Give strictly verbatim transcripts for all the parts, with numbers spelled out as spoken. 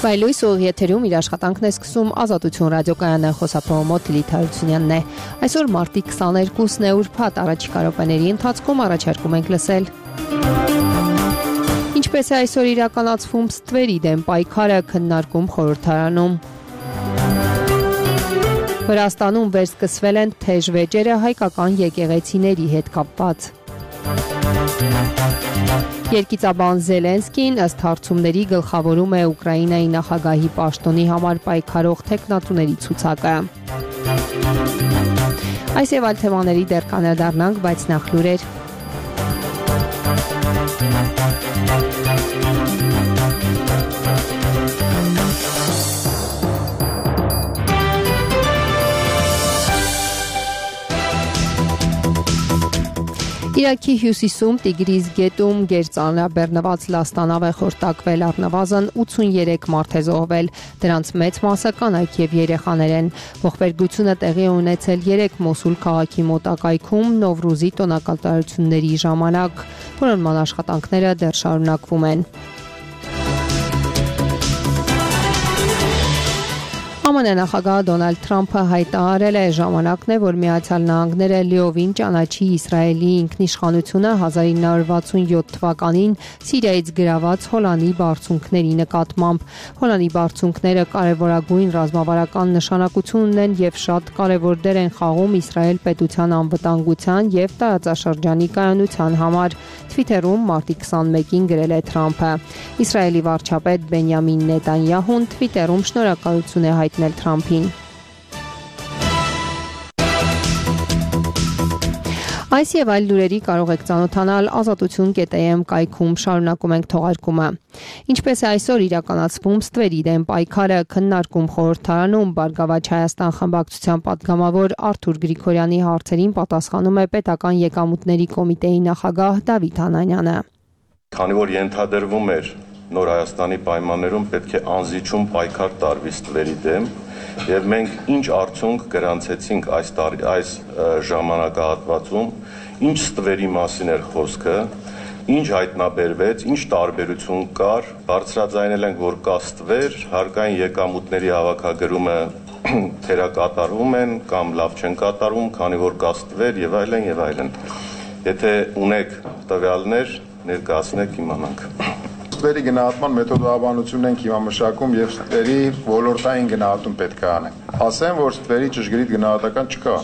Վայլույս ուղիղ եթերում իր աշխատանքն է սկսում Ազատություն ռադիոկայանը, խոսափողոմոտ Լիլիթ Հարությունյանն է։ Այսօր մարտի քսաներկուսն է, ուրբաթ, առաջիկա րոպեների ընթացքում առաջարկում ենք լսել. Ինչպես է այսօր իրականացվում ստվերի դեմ պայքարը, քննարկում խորհրդարանում։ Վրաստանում վերսկսվել են թեժ վեճերը հայկական եկեղեցիների հետ կապված։ Երկիծաբան Զելենսկին ըստ հարցումների գլխավորում է Ուկրաինայի նախագահի պաշտոնի համար պայքարող թեկնածուների ցուցակը։ Այս եւ այլ թեմաների դեռ կանրադառնանք, բայց նախ լուրեր։ Իրաքի հյուսիսում Տիգրիզ գետում գերծանրաբեռնված լաստանավ է խորտակվել, առնվազն ութսուներեք մարդ է զոհվել, դրանց մեծ մասը կանայք եւ երեխաներ են։ Ողբերգությունը տեղի է ունեցել երեք Մոսուլ քաղաքի մոտակայքում Նովրուզի տոնակատարությունների ժամանակ, որոնց աշխատանքները դեռ շարունակվում են։ ԱՄՆ նախագահ Դոնալդ Թրամփը հայտարարել է, ժամանակն է, որ Միացյալ Նահանգները լիովին ճանաչի Իսրայելի ինքնիշխանությունը հազար ինը հարյուր վաթսունյոթ թվականին Սիրիայից գրաված Հոլանի բարձունքների նկատմամբ։ Հոլանի բարձունքները կարևորագույն ռազմավարական նշանակություն ունեն եւ շատ կարևոր դեր են խաղում Իսրայել պետության անվտանգության եւ տարածաշրջանի կայունության համար, Թվիթերում մարտի քսանմեկին գրել է Թրամփը։ Իսրայելի վարչապետ Բենյամին Նետանյահուն Թվիթերում շնորհակալություն է հայտնել Թրամփին։ Այս եւ այլ լուրերի կարող եք ծանոթանալ ազատություն կետ է էմ կայքում, շարունակում ենք թողարկումը։ Ինչպես է այսօր իրականացվում ստվերի դեմ պայքարը, քննարկում խորհրդարանում, Բարգավաճ Հայաստան խմբակցության պատգամավոր Արթուր Գրիգորյանի հարցերին պատասխանում է Պետական եկամուտների կոմիտեի նախագահ Դավիթ Հանանյանը։ Քանի որ ենթադրվում էր Նոր Հայաստանի պայմաններում պետք է անզիջում պայքար տարվի ստվերի դեմ, եւ մենք ինչ արդյունք գրանցեցինք այս տարի, այս ժամանակահատվածում, ինչ ստվերի մասին էր խոսքը, ինչ հայտնաբերվեց, ինչ տարբերություն կար, բարձրաձայնել ենք, որ կա ստվեր, հարկային եկամուտների հավաքագրումը թերակատարվում են կամ լավ չեն կատարվում, քանի որ կա ստվեր եւ այլն եւ այլն։ Եթե ունեք տվյալներ, ներկայացնեք, իմանանք։ Ստվերի գնահատման մեթոդաբանությունն ենք հիմա մշակում եւ ստվերի ոլորտային գնահատում պետք է անենք։ Ասեմ, որ ստվերի ճշգրիտ գնահատական չկա։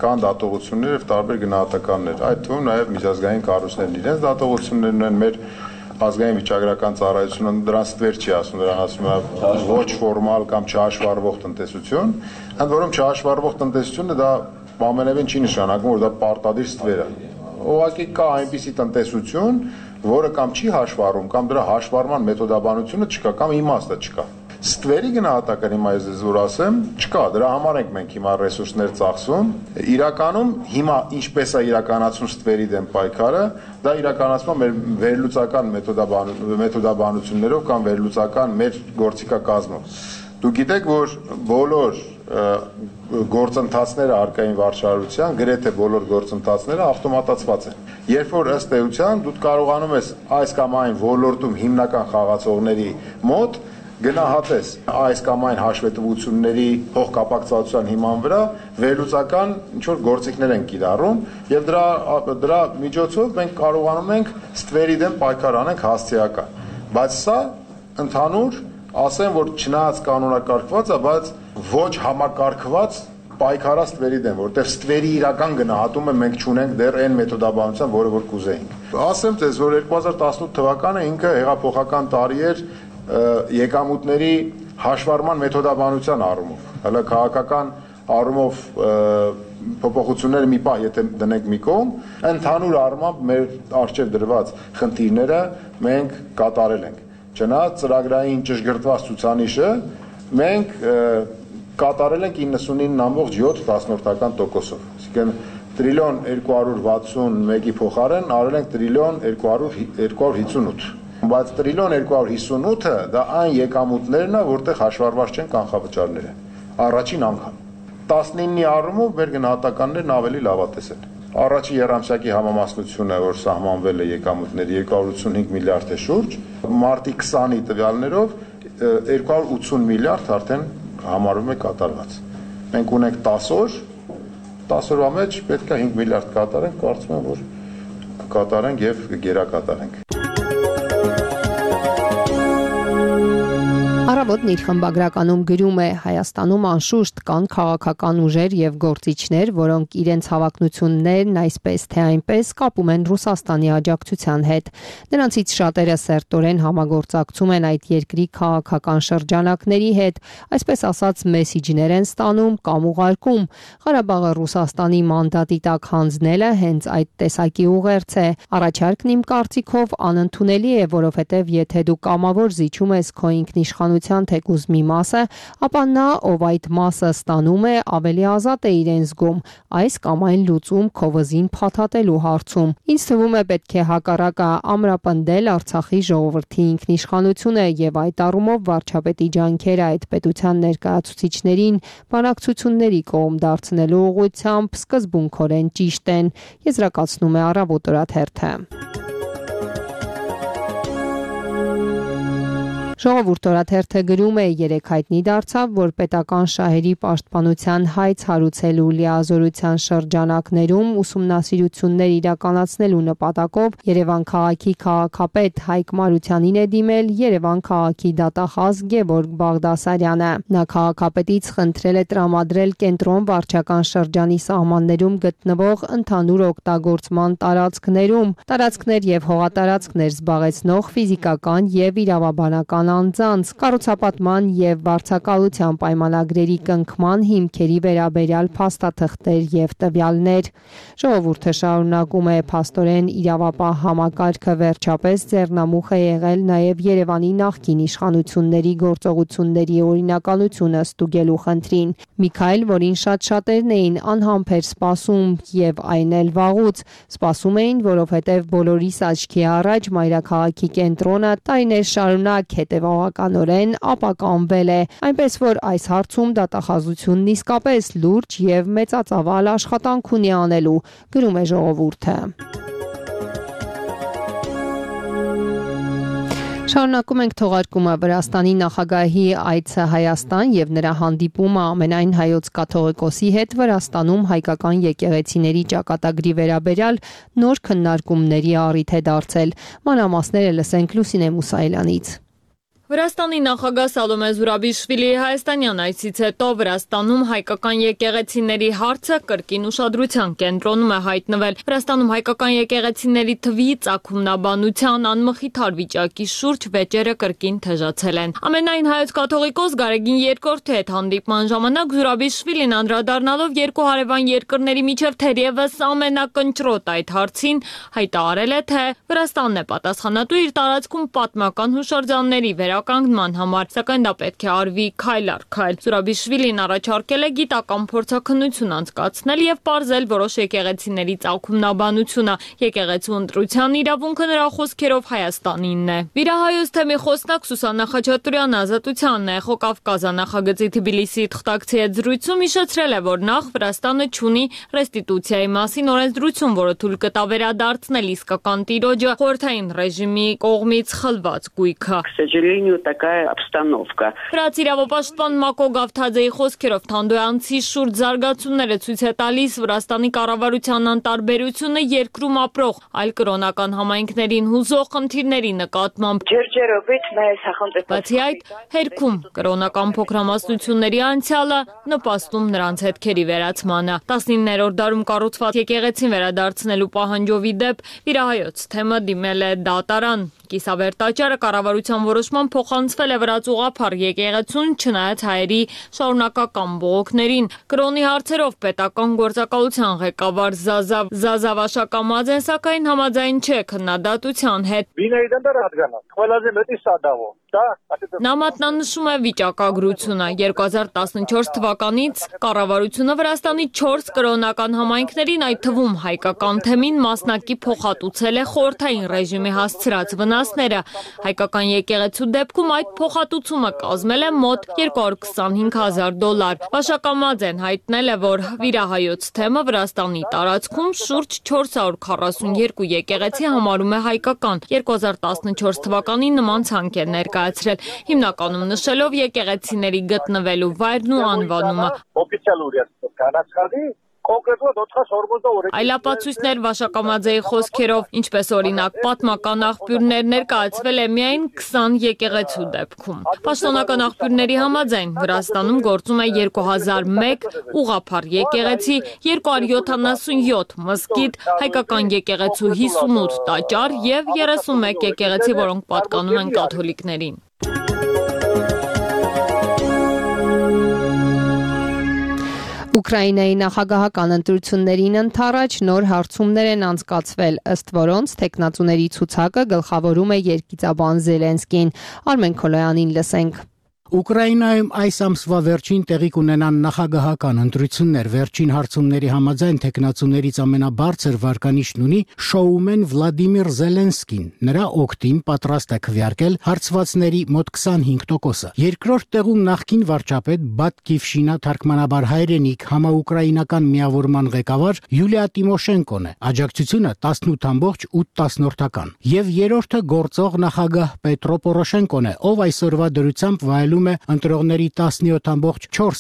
Կան դատողություններ եւ տարբեր գնահատականներ։ Այդ թվում նաեւ միջազգային կառույցներն իրենց դատողություններն են, մեր ազգային վիճակագրական ծառայությունը դրան ստվեր չի ասում, դրան ասում է ոչ ֆորմալ կամ չհաշվառվող տնտեսություն, ընդ որում չհաշվառվող տնտեսությունը դա ամենևին չի նշանակում, որ դա պարտադիր ստվեր է։ Ուղղակի կա այնպիսի տնտեսություն, որը կամ չի հաշվառում, կամ դրա հաշվառման մեթոդաբանությունը չկա, կամ իմաստը չկա։ Ստվերի գնահատական հիմա ես ձեզ որ ասեմ, չկա, դրա համար ենք մենք հիմա ռեսուրսներ ծախսում։ Իրականում հիմա ինչպես է իրականացում ստվերի դեմ պայքարը, դա իրականացվում է մեր վերլուծական մեթոդաբանություններով կամ վերլուծական մեր գործիքակազմով։ Դուք գիտեք, որ բոլոր գործընթացները արկային վարչարության, գրեթե բոլոր գործընթացները ավտոմատացված են։ Երբ որ ըստ էության դու կարողանում ես այս կամ այն ոլորտում հիմնական խաղացողների մոտ գնահատես այս կամ այն հաշվետվությունների փոխկապակցվածության հիման վրա վերլուծական ինչ-որ գործիքներ են կիրառում եւ դրա դրա միջոցով մենք կարողանում ենք ստվերի դեմ պայքար անենք հասցեական։ Բայց սա ընդհանուր ասեմ, որ չնայած կանոնակարգված է, բայց ոչ համակարգված պայքարա ստվերի դեմ, որտեղ ստվերի իրական գնահատումը մենք չունենք դեռ այն մեթոդաբանության, որը որ կուզեինք։ Ասեմ ձեզ, որ երկու հազար տասնութ թվականը ինքը հեղափոխական տարի էր եկամուտների հաշվառման մեթոդաբանության առումով։ Հələ քաղաքական առումով փոփոխությունները մի պահ եթե դնենք մի կողմ, ընդհանուր առմամբ մեր առջև դրված խնդիրները մենք կատարել ենք։ Չնայած ծրագրային ճշգրտված ցուցանիշը մենք կատարել ենք իննսունինը նամբողջ յոթ տոկոսով։ Այսինքն տրիլիոն երկու հարյուր վաթսունմեկի փոխարեն արել ենք տրիլիոն երկու հարյուր հիսունութ։ Բայց տրիլիոն երկու հարյուր հիսունութը դա այն եկամուտներն է, որտեղ հաշվառված չեն կանխավճարները։ Առաջին անգամ տասնինի առումով մեր գնահատականներն ավելի լավատես են։ Առաջի երամսյակի համամասնությունը, որ սահմանվել է եկամուտների երկու հարյուր ութսունհինգ միլիարդ է շուրջ, մարտի քսանի տվյալներով երկու հարյուր ութսուն միլիարդ արդեն համարվում է կատարված։ Մենք ունենք տասը օր, տասը օրվա մեջ պետք է հինգ միլիարդ կատարենք, կարծում եմ, որ կատարենք եւ գերակատարենք։ Առավոտն իր խմբագրականում գրում է. Հայաստանում անշուշտ կան քաղաքական ուժեր եւ գործիչներ, որոնք իրենց հավակնություններն այսպես թե այնպես կապում են Ռուսաստանի աջակցության հետ։ Նրանցից շատերը սերտորեն համագործակցում են այդ երկրի քաղաքական շրջանակների հետ, այսպես ասած մեսիջներ են ստանում կամ ուղարկում։ Ղարաբաղը Ռուսաստանի մանդատի տակ հանձնելը հենց այդ տեսակի ուղերձ է։ Առաջարկն իմ կարծիքով անընդունելի է, որովհետեւ եթե դու կամավոր զիջում ես քո ինքնիշխանության թեկուզ մի մասը, ապա նա, ով այդ մասը ստանում է, ավելի ազատ է իրեն զգում այս կամ այն լուծում քո վզին փաթաթելու հարցում։ Ինձ թվում է պետք է հակառակը ամրապնդել Արցախի ժողովրդի ինքնիշխանությունը եւ այդ առումով վարչապետի ջանքերը այդ պետության ներկայացուցիչներին բանակցությունների կողմ դարձնելու ուղղությամբ սկզբունքորեն ճիշտ են, եզրակացնում է Առավոտ օրաթերթը։ Ժողովուրդ օրաթերթը գրում է. երեկ հայտնի դարձավ, որ պետական շահերի պաշտպանության հայց հարուցելու լիազորության շրջանակներում ուսումնասիրություններ իրականացնելու նպատակով Երևան քաղաքի քաղաքապետ Հայկ Մարությանին է դիմել Երևան քաղաքի դատախազ Գևորգ Բաղդասարյանը։ Նա քաղաքապետից խնդրել է տրամադրել կենտրոն վարչական շրջանի սահմաններում գտնվող ընդհանուր օգտագործման տարածքներում տարածքներ եւ հողատարածքներ զբաղեցնող ֆիզիկական եւ իրավաբանական անձանց կառուցապատման եւ վարձակալության պայմանագրերի կնքման հիմքերի վերաբերյալ փաստաթղթեր եւ տվյալներ։ Ժողովուրդը շարունակում է փաստորեն իրավապահ համակարգը վերջապես ձեռնամուխ է եղել նաեւ Երևանի նախկին իշխանությունների գործողությունների օրինականությունը ստուգելու խնդրին։ Միքայել, որին շատ շատերն էին անհամբեր սպասում եւ այն էլ վաղուց սպասում էին, որովհետեւ բոլորիս աչքի առաջ մայրաքաղաքի կենտրոնը տարիներ շարունակ հետևողականորեն ապականվել է, այնպես որ այս հարցում դատախազությունն իսկապես լուրջ եւ մեծածավալ աշխատանք ունի անելու, գրում է Ժողովուրդը։ Շարունակում ենք թողարկումը Վրաստանի նախագահի այցը Հայաստան եւ նրա հանդիպումը ամենայն հայոց կաթողիկոսի հետ Վրաստանում հայկական եկեղեցիների ճակատագրի վերաբերյալ նոր քննարկումների առիթ է դարձել։ Մանրամասները լսենք Լուսինե Մուսայելյանից։ Վրաստանի նախագահ Սալոմե Զուրաբիշվիլիի հայաստանյան այցից հետո Վրաստանում հայկական եկեղեցիների հարցը կրկին ուշադրության կենտրոնում է հայտնվել։ Վրաստանում հայկական եկեղեցիների թվի ծագումնաբանության անմխիթար վիճակի շուրջ վեճերը կրկին թեժացել են։ Ամենայն հայոց կաթողիկոս Գարեգին երկրորդի հետ հանդիպման ժամանակ Զուրաբիշվիլին անդրադառնալով երկու հարևան երկրների միջև թերևս ամենակնճռոտ այդ հարցին հայտարարել է, թե Վրաստանն է պատասխանատու իր տարածքում պատմական հուշարձանների վրա կանգնման համար, սակայն դա պետք է արվի քայլ առ քայլ։ Զուրաբիշվիլին առաջարկել է գիտական փորձաքննություն անցկացնել եւ պարզել որոշ եկեղեցիների ծագումնաբանությունը։ Եկեղեցու ընտրության իրավունքը նրա խոսքերով Հայաստանինն է։ Վիրահայոց թեմի խոսնակ Սուսաննա Խաչատուրյանը Ազատությանն է Խոկավկազա նախագծի Թբիլիսիի թղթակցի հետ զրույցում հիշեցրել է, որ նախ Վրաստանը չունի ռեստիտուցիայի մասին օրենսդրություն, որը թույլ կտա վերադարձնել իսկական տիրոջը խորհրդային ռեժիմի կողմից խլված գույքը։ Такая обстановка. Վրաց իրավապաշտպան Մակո Գավթաձեի խոսքերով Թանդոյանցի շուրջ զարգացումները ցույց է տալիս Վրաստանի կառավարության անտարբերությունը երկրում ապրող այլ կրոնական համայնքներին հուզող խնդիրների նկատմամբ։ Բացի այդ, հերքում կրոնական փոքրամասնությունների անցյալը նպաստում նրանց հետքերի վերացմանը։ տասնիններորդ դարում կառուցված եկեղեցին վերադարձնելու պահանջով ի դեպ վիրահայոց թեմը դիմել է դատարան։ Կիսավեր տաճարը կառավարության որոշման փոխանցվել է վրաց ուղղափառ եկեղեցուն, չնայած հայերի շարունակական բողոքներին։ Կրոնի հարցերով պետական գործակալության ղեկավար Զազավ Զազավ Աշակամաձեն սակայն համաձայն չէ քննադատության հետ։ Նա մատնանշում է վիճակագրությունը։ երկու հազար տասնչորս թվականից կառավարությունը Վրաստանի չորս կրոնական համայնքներին, այդ թվում հայկական թեմին մասնակի փոխհատուցել է խորհրդային ռեժիմի հասցրած վնասները։ Հայկական եկեղեցու դեպքում այդ փոխհատուցումը կազմել է մոտ երկու հարյուր քսանհինգ հազար դոլար։ Աշակամաձեն հայտնել է, որ վիրահայոց թեմը Վրաստանի տարածքում շուրջ չորս հարյուր քառասունյոթ եկեղեցի համարում է հայկական։ երկու հազար տասնչորս թվականին նման ցանկ էր ներկայացվել ներկայացրել, հիմնականում նշելով եկեղեցիների գտնվելու վայրն ու անվանումը։ Այլապացույցներ Վաշակամաձեի խոսքերով, ինչպես օրինակ պատմական աղբյուրներ, ներկայացվել է միայն քսան եկեղեցու դեպքում։ Պաշտոնական աղբյուրների համաձայն Վրաստանում գործում է երկու հազար մեկ ուղղափառ եկեղեցի, երկու հարյուր յոթանասունյոթ մզկիթ, հայկական եկեղեցու հիսունութ տաճար եւ երեսունմեկ եկեղեցի, որոնք պատկանում են կաթոլիկներին։ Ուկրաինայի նախագահական ընտրություններին ընդառաջ նոր հարցումներ են անցկացվել, ըստ որոնց թեկնածուների ցուցակը գլխավորում է երգիծաբան Զելենսկին։ Արմեն Քոլոյանին լսենք։ Ուկրաինայում այս ամսվա վերջին տեղի կունենան նախագահական ընտրություններ, վերջին հարցումների համաձայն թեկնածուներից ամենաբարձր վարկանիշն ունի շոումեն Վլադիմիր Զելենսկին։ Նրա օգտին պատրաստ է քվեարկել հարցվածների մոտ քսանհինգ տոկոսը։ Երկրորդ տեղում նախկին վարչապետ Բատկիվշինա թարգմանաբար հայրենիք համաուկրաինական միավորման ղեկավար Յուլիա Տիմոշենկոն է։ Աջակցությունը տասնութ ամբողջ ութ Եվ երրորդը գործող նախագահ Պետրո Պորոշենկոն է, ով այսօրվա դրությամբ վայելում է ընտրողների տասնյոթ ամբողջ չորս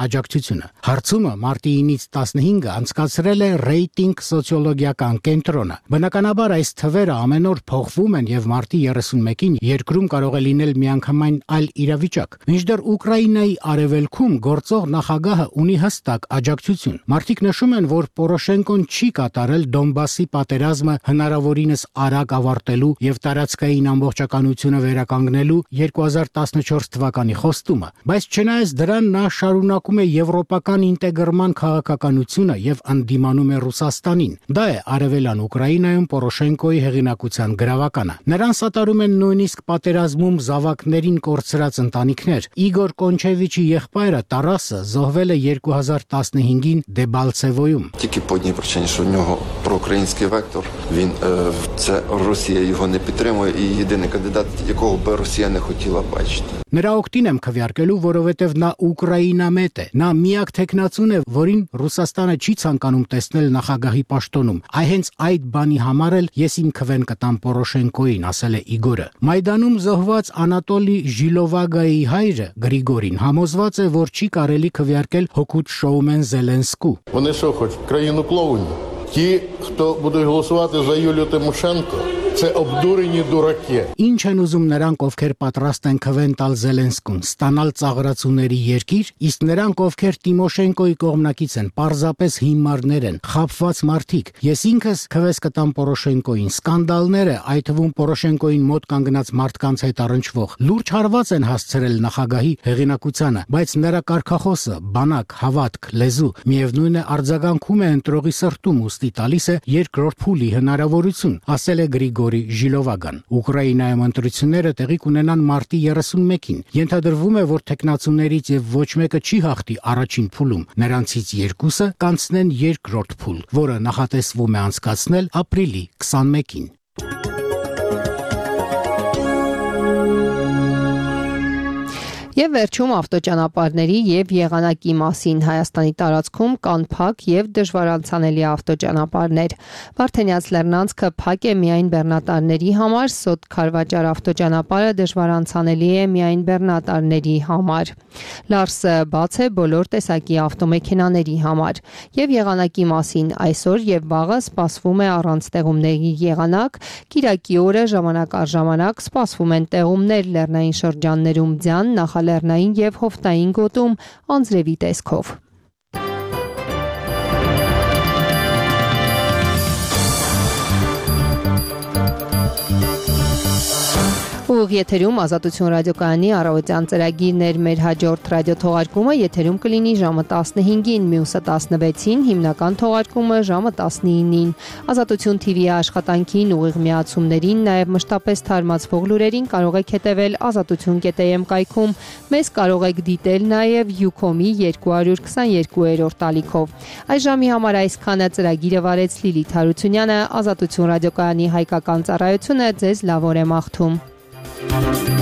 աջակցությունը։ Հարցումը մարտի ինից տասնհինգը անցկացրել է ռեյտինգ սոցիոլոգիական կենտրոնը։ Բնականաբար այս թվերը ամեն օր փոխվում են եւ մարտի երեսունմեկին երկրում կարող է լինել միանգամայն այլ իրավիճակ։ Մինչդեռ Ուկրաինայի արևելքում գործող նախագահը ունի հստակ աջակցություն։ Մարդիկ նշում են, որ Պորոշենկոն չի կատարել Դոնբասի պատերազմը հնարավորինս արագ ավարտելու եւ տարածքային ամբողջականությունը վերականգնելու երկու հազար տասնչորս թվականի խոստումը, բայց չնայած դրան նա շարունակում է եվրոպական ինտեգրման քաղաքականությունը եւ ընդդիմանում է Ռուսաստանին։ Դա է արևելյան Ուկրաինայում Պորոշենկոյի հեղինակության գրավականը։ Նրան սատարում են նույնիսկ պատերազմում զավակներին կորցրած ընտանիքներ։ Իգոր Կոնչևիչի եղբայրը Տարասը զոհվել է երկու հազար տասնհինգին Դեբալցևոյում։ Тільки по одній причині, що в нього проукраїнський вектор, він е, це Росія його не підтримує і єдиний кандидат, якого би Росія не хотіла бачити. Նրա օգտին եմ քվեարկելու, որովհետև նա ուկրաինամետ է։ Նա միակ թեկնածուն է, որին Ռուսաստանը չի ցանկանում տեսնել նախագահի պաշտոնում։ Այ հենց այդ բանի համար էլ ես իմ քվեն կտամ Պորոշենկոյին, ասել է Իգորը։ Մայդանում զոհված Անատոլի Ժիլովագայի հայրը Գրիգորին համոզված է, որ չի կարելի քվեարկել հօգուտ շոումեն Զելենսկու։ Вони що хочуть країну клоунів? Ті, хто будуть голосувати за Юлію Тимошенко, це обдурені дураки. Ինչ են ուզում նրանք, ովքեր պատրաստ են քվեն տալ Զելենսկուն, ստանալ ծաղրացուների երկիր, իսկ նրանք, ովքեր Տիմոշենկոյի կողմնակից են, պարզապես հիմարներ են, խաբված մարդիկ։ Ես ինքս քվես կտամ Պորոշենկոյին։ Սկանդալները, այդ թվում Պորոշենկոյին մոտ կանգնած մարդկանց հետ առնչվող, լուրջ հարված են հասցրել նախագահի հեղինակությանը, բայց նրա կարգախոսը, բանակ, հավատք, լեզու, միևնույն է արձագանքում է ընտրողի սրտում, ուստի տալիս է երկրորդ փուլի հնարավորություն, ասել է Գրիգորի Ժիլովագան։ Ուկրաինայում ընտրությունները տեղի կունենան մարտի երեսունմեկին։ Ենթադրվում է, որ թեկնածուներից եւ ոչ մեկը չի հաղթի առաջին փուլում։ Նրանցից երկուսը կանցնեն երկրորդ փուլ, որը նախատեսվում է անցկացնել ապրիլի քսանմեկին։ Եվ վերջում ավտոճանապարհների եւ եղանակի մասին Հայաստանի տարածքում կան փակ եւ դժվարանցանելի ավտոճանապարհներ։ Վարդենյաց Լեռնանցքը փակ է միայն բեռնատարների համար, Սոտ Քարվաճար ավտոճանապարհը դժվարանցանելի է միայն բեռնատարների համար։ Լարսը բաց է բոլոր տեսակի ավտոմեքենաների համար։ Եվ եղանակի մասին այսօր եւ վաղը սպասվում է առանց տեղումների եղանակ, Կիրակի օրը ժամանակ առ ժամանակ սպասվում են տեղումներ լեռնային շրջաններում ձյան, նախալեռնային եւ հովտային գոտում անձրևի տեսքով։ Ուղիղ եթերում Ազատություն ռադիոկայանի առավոտյան ծրագիրն էր, մեր հաջորդ ռադիոթողարկումը եթերում կլինի ժամը տասնհինգին, մյուսը տասնվեցին, հիմնական թողարկումը ժամը տասնինին։ Ազատություն թի վի աշխատանքին, ուղիղ միացումներին, նաև մշտապես թարմացվող լուրերին կարող եք հետևել ազատություն կետ էմ կայքում, մեզ կարող եք դիտել նաև Յուքոմի երկու հարյուր քսաներկուերորդ ալիքով։ Այս ժամի համար այսքանը ծրագիրը վարեց Լիլիթ Հարությունյանը, Ազատություն ռադիոկայանի հայկական ծառայությունը ձեզ լավ օր է մաղթում։ Thank you.